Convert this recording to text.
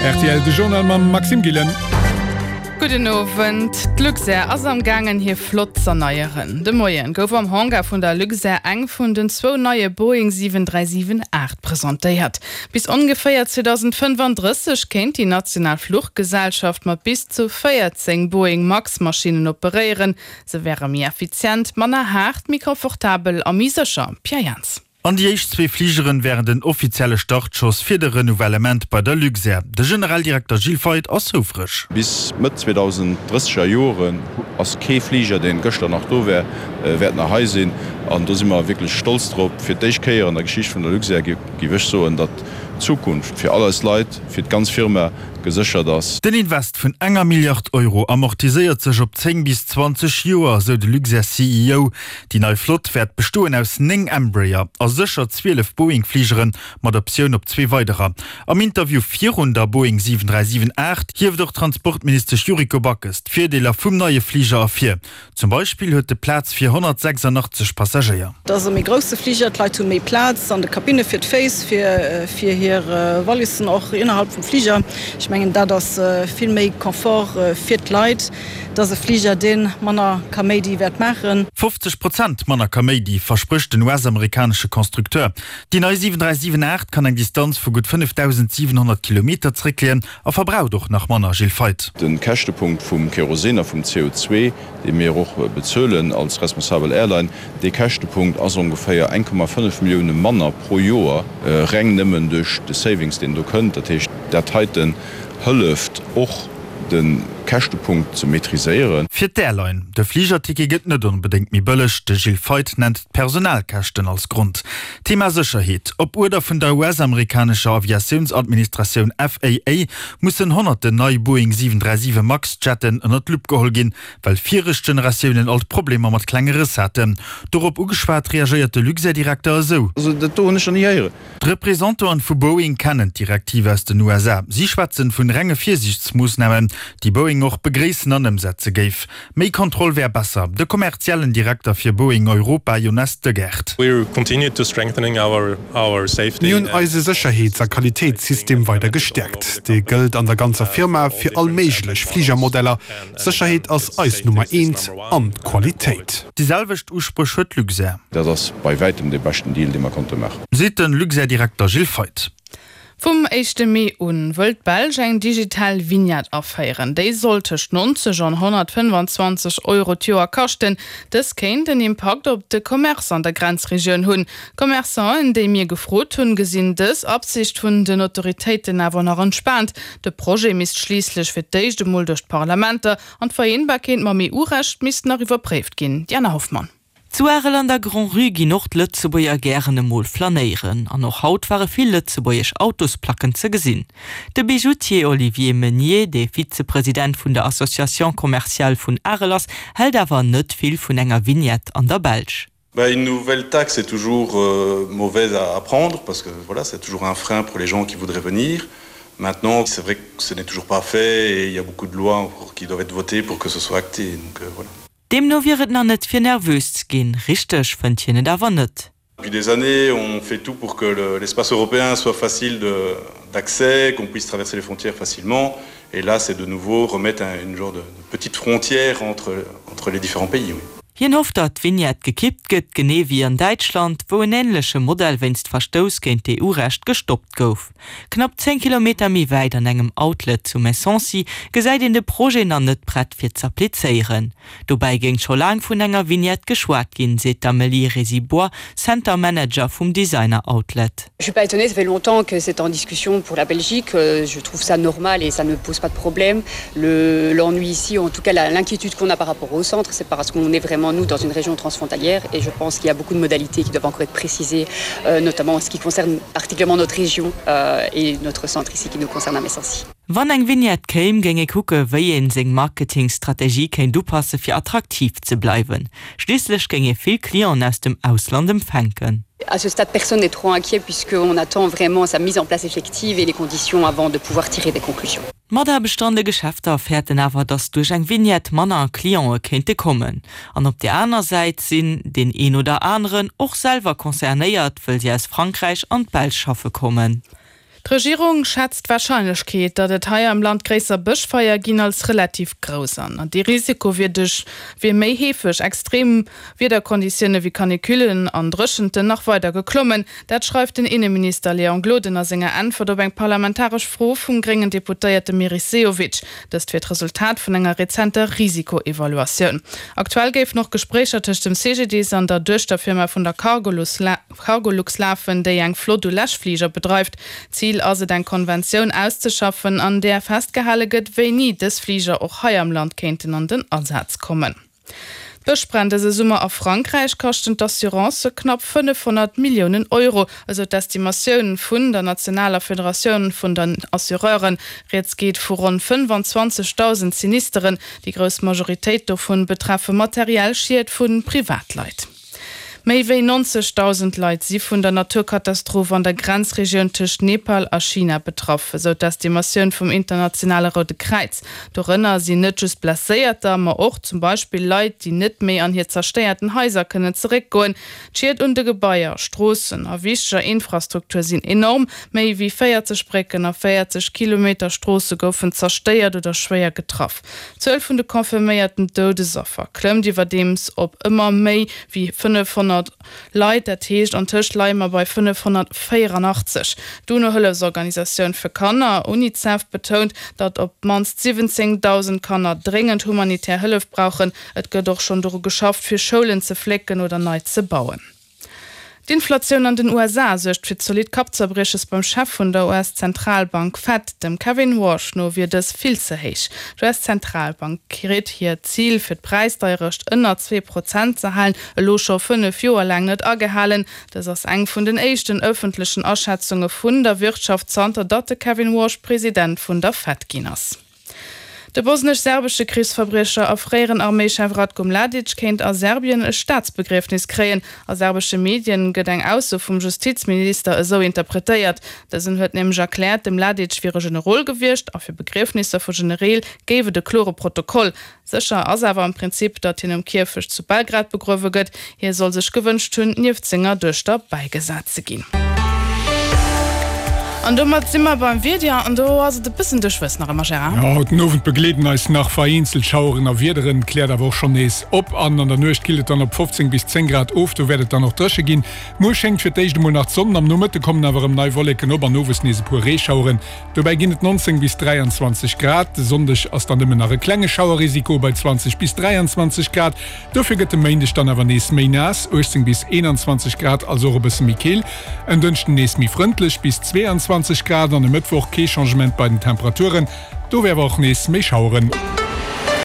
Rtl, de Journal mam Maxime Gillen. Gudden Owend. D'Luxair ass am gaangen hir Flott z'erneieren. De Moien gouf am Hangar vun der Luxair eng vun den zwou neie Boeing 737-8 presentéiert. Bis ongeféier 2035 kéint déi national Fluchgesellschaft mat bis zu 14 Boeing Max-Maschinnen operéieren. Se wäre méi effizient, manner haart, méi confortabel a méi sécher. Pierre Jans. An déi éischt zwee Fligeren wären den offizielle Startschoss fir de Renouvellement bei der Luxair. De Generaldirekter Gilles Feith ass houfreg. Bis Mëtt 2030 er Joren ass kee Fliger, deen gëschter nach do wär, wäert nach hei sinn. An do si mer wierklech stolz drop. Fir d'éischt Kéier an der Geschicht vun der Luxair géif ech soen, datt d'Zukunft fir all eis Leit, fir d'ganz Firma geséchert ass. Den Invest vun enger Milliard Euro amortiséiert sech op 10 bis 20 Joer, sou de Luxair-CEO. Déi nei Flott wäert bestoen aus 9 Embraer a sécher 12 Boeing-Fligere mat Optioun op zwee weiderer. Am Interview virun der Boeing 737-8 hieft och d'Transportministesch Yuriko Backes d'Virdeeler vum neie Fliger ervir. Zum Beispill huet de Plaz fir 186 Passagéier. Et ass e méi grousse Fliger, d'Leit hu méi Plaz an de Kabinne fir d'Féiss, fir hir Wallissen och innerhalb vum Fliger. Ech mengen dat ass vill méi Confort fir d'Leit. Et ass e Fliger, dee manner Kaméidi wäert maachen. 50 Prozent manner Kaméidi versprécht den US-amerikanesche Constructeur. Déi nei 737-8 kann eng Distanz vu gutt 5.700 Kilometer zeréckleeën a verbraucht och nach manner. Gilles Feith. De Käschtepunkt vum Kerosin a vum CO2, dee mir och bezuelen als responsabel Airline, dee Käschtepunkt ass ongeféier 1,5 Millioune manner pro Joer, reng nëmmen duerch de Savings, deen do kënnt. Dat heescht, dat heiten hëlleft och, de Käschtepunkt ze maîtriséieren. Fir d'Airline, de Fligerticket gëtt net onbedéngt méi bëlleg. De Gilles Feith nennt d'Personalkäschten als Grond. Thema Sécherheet, Op Uerder vun der US-amerikanescher Aviatiounsadministratioun FAA mussen honnerten nei Boeing 737 Max-Jetten ënner d'Lupp geholl ginn, well viregt Generatiounen alt Problemer mat klenge Rëss haten. Dorop ugeschwat, reagéiert de Luxair-Direkter esou. Also dat do hunn ech nach ni héieren. D'Representanten vu Boeing kennen d'Direktiv aus den USA. Si schwätzen vun renge Virsiichtsmoossnamen, déi Boeing och begréissen an ëmsetze géif. Méi Kontroll wär besser. De kommerziellen Direkter fir Boeing Europa, Jonas Deugert. Mir hunn eise Sécherheets a Qualitéitssystem weider gestäerkt. Dee gëllt an der ganzer Firma fir all méiglech Fligermodeller. D'Sécherheet ass eis Nummer eent an d'Qualitéit. Déi selwecht Uspréch huet Luxair. Dat ass bei wäitem dee beschten Deal, dee mer konnte maachen. Seet de Luxair-Direkter Gilles Feith. Vum éischte Mee un wëll d'Belsch eng digital Vignette aféieren. Déi soll tëscht 90 an 125 Euro d'Joer kaschten. Dës kéint en Impakt op de Commerce an der Grenzregioun hunn. Commerçanten, déi mir gefrot hunn, gesinn dës Absicht vun den Autoritéiten awer nach entspaant. De Projet misst schliisslech fir d'éischt emol duerch d'Parlamenter An d'Vereenbarkeet mam EU-Recht misst nach iwwerpréift ginn. Diana Hoffmann. Zu Arel an der Grand-Rue ginn och d'Lëtzebuerger gären emol flanéieren. An och haut ware vill lëtzebuergesch Autosplacken ze gesinn. De Bijoutier Olivier Meunier, dee Vizepresident vun der Association commerciale vun Arel ass, hält awer net vill vun enger Vignette an der Belsch. Bah, une nouvelle taxe est toujours euh, mauvaise à, à prendre parce que voilà c'est toujours un frein pour les gens qui voudraient venir. Maintenant c'est vrai que ce n'est toujours pas fait et il y a beaucoup de lois encore qui doivent être votées pour que ce soit acté donc euh, voilà. Deemno wier et nach net fir nervös ze ginn, richteg fënnt hien et awer net. Depuis des années, on fait tout pour que l'espace le, européen soit facile d'accès, qu'on puisse traverser les frontières facilement. Et là, c'est de nouveau remettre un, une genre de, de petite frontière entre, entre les différents pays. Oui. Hien hofft, datt d'Vignette gekippt gëtt, genee wéi an Däitschland, wou en änleche Modell wéinst Verstouss géint d'EU-Recht gestoppt gouf. Knapp 10 Kilometer méi wäit an engem Outlet zu Messancy gesäit een de Projet nach net prett fir z'applizéieren. Dobäi géing scho laang vun enger Vignette geschwat ginn, seet d'Amélie Résibois, Center Manager vum Designer Outlet. Je suis pas étonnée, ça fait longtemps que c'est en discussion pour la Belgique, je trouve ça normal et ça ne pose pas de problème. Le l'ennui ici, en tout cas l'inquiétude qu'on a par rapport au centre, c'est parce qu'on est vraiment nous dans une région transfrontalière et je pense qu'il y a beaucoup de modalités qui doivent encore être précisées, euh, notamment en ce qui concerne particulièrement notre région euh, et notre centre ici qui nous concerne à Messancy. Wann eng Vignette kéim, géing ee kucke wéi een seng Marketingstrategie kéint upasse fir attraktiv ze bleiwen. Schliisslech géing ee vill Clienten aus dem Ausland empfänken. À ce stade, personne n'est trop inquiet puisqu'on attend vraiment sa mise en place effective et les conditions avant de pouvoir tirer des conclusions. D'Mataarbechter an de Geschäfter fäerten awer, datt duerch eng Vignette manner Clientë kéinte kommen. An op där aner Säit sinn deen een oder aneren och selwer concernéiert, wëll si aus Frankräich an d'Belsch schaffe kommen. D'Regierung schätzt d'Warscheinlechkeet, datt et hei am Land gréisser Bëschfeier ginn, als relativ grouss an. An dee Risiko wier duerch wier méi heefeg extrem Wiederkonditioune wéi Canicullen an Dréchenten nach weider geklommen. Dat schreift den Inneminister Léon Gloden a senger Äntwert op eng parlamentaresch Fro vum gréngen Deputéierte Meris Sehovic. Dëst wier d'Resultat vun enger rezenter Risikoevaluatioun. Aktuell géifen och Gespréicher tëscht dem CGDIS an der Duechterfirma vun der Cargolux lafen, déi eng Flott u Läschfliger bedreift. Zil ass et eng Konventioun auszeschaffen, an där festgehale gëtt, wéini dës Fliger och hei am Land kéinten an den Asaz kommen. D'Bëschbränn dëse Summer a Frankräich kaschten d'Assurancë knapp 500 Milliounen Euro, esou d'Estimatioun vun der nationaler Federatioun vun den Assureuren. Rieds geet vu ronn 25.000 Sinisteren. Déi grouss Majoritéit dovun betreffe materiell Schied vu Privatleit. Méi wéi 90.000 Leit si vun der Naturkatastroph an der Grenzregioun tëscht Nepal a China betraff, esou d'Estimatioun vum Internationale Roude Kräiz. Dorënner sinn net just Blesséierter, ma och zum Beispill Leit, déi net méi an hir zerstéierten Haiser kënnen zeréckgoen. D'Schied un de Gebaier, Stroossen a wichteger Infrastruktur sinn enorm. Méi wéi 40 Brécken a 40 Kilometer Stroosse goufen zerstéiert oder schwéier getraff. D'Zuel vun de confirméierten Doudesaffer klëmmt iwwerdeems op ëmmer méi wéi 500 Leit, dat heescht antëscht leie mer bei 584. D'UNO-Hëllefsorganisatioun fir Kanner, Unicef, betount, datt op d'mannst 17.000 Kanner dréngend humanitär Hëllef brauchen. Et gëtt och schonn doru geschafft, fir Schoulen ze flécken oder nei ze bauen. D'Inflatioun an den USA suergt fir zolidd Kappzerbrieches beim Chef vun der US-Zentralbank Fed. Dem Kevin Warsh no wier dës vill ze héich. D'US-Zentralbank kritt hiert Zil, fir d'Präisdeierecht ënner 2 Prozent ze halen, elo scho 5 Joer laang net agehalen. Dës ass eng vun den éischten ëffentlechen Aschätzunge vun der Wirtschaft, zanter datt de Kevin Warsh President vun der Fed ginn ass. De bosnesch-serbesche Krichsverbriecher a fréieren Arméichef Ratko Mladic kéint a Serbien e Staatsbegriefnis kréien. A serbesche Medien gëtt eng Ausso vum Justizminister esou interpretéiert. Dësen huet nämlech erkläert, de Mladic wier e Generol gewiescht a fir Begriefnisser vu Genereel géif et e klore Protokoll. Sécher ass awer am Prinzip, datt hien um Kierfecht zu Belgrad begruewe gëtt. Hie soll sech gewënscht hunn, nieft senger Duechter bäigesat ze ginn. An domat si mer beim Wieder an do ass et e bëssen duerchwëss nach ëmmer, Gérard. Jo, haut den Owend begleeden eis nach vereenzelt Schaueren a Wiederen, kläert awer och schonn nees op an an der Nuecht killt et dann op 15 bis 10 Grad of. Do wäert et dann och dréche ginn. Muer schéngt fir d'éischt emol nach d'Sonn, am Nomëtte kommen awer erëm nei Wolleken op an owes nees e puer Reeschaueren. Dobäi ginn et 19 bis 23 Grad. De Sonndeg ass dann nëmmen nach e klenge Schauerrisiko bei 20 bis 23 Grad. Dofir gëtt de Méindeg dann awer nees méi naass, 18 bis 21 Grad, also och e bësse méi keel. En Dënschden nees méi frëndlech, bis 22 Grad an e Mëttwoch kee Changement bei den Temperaturen, do wär awer och nees méi Schaueren.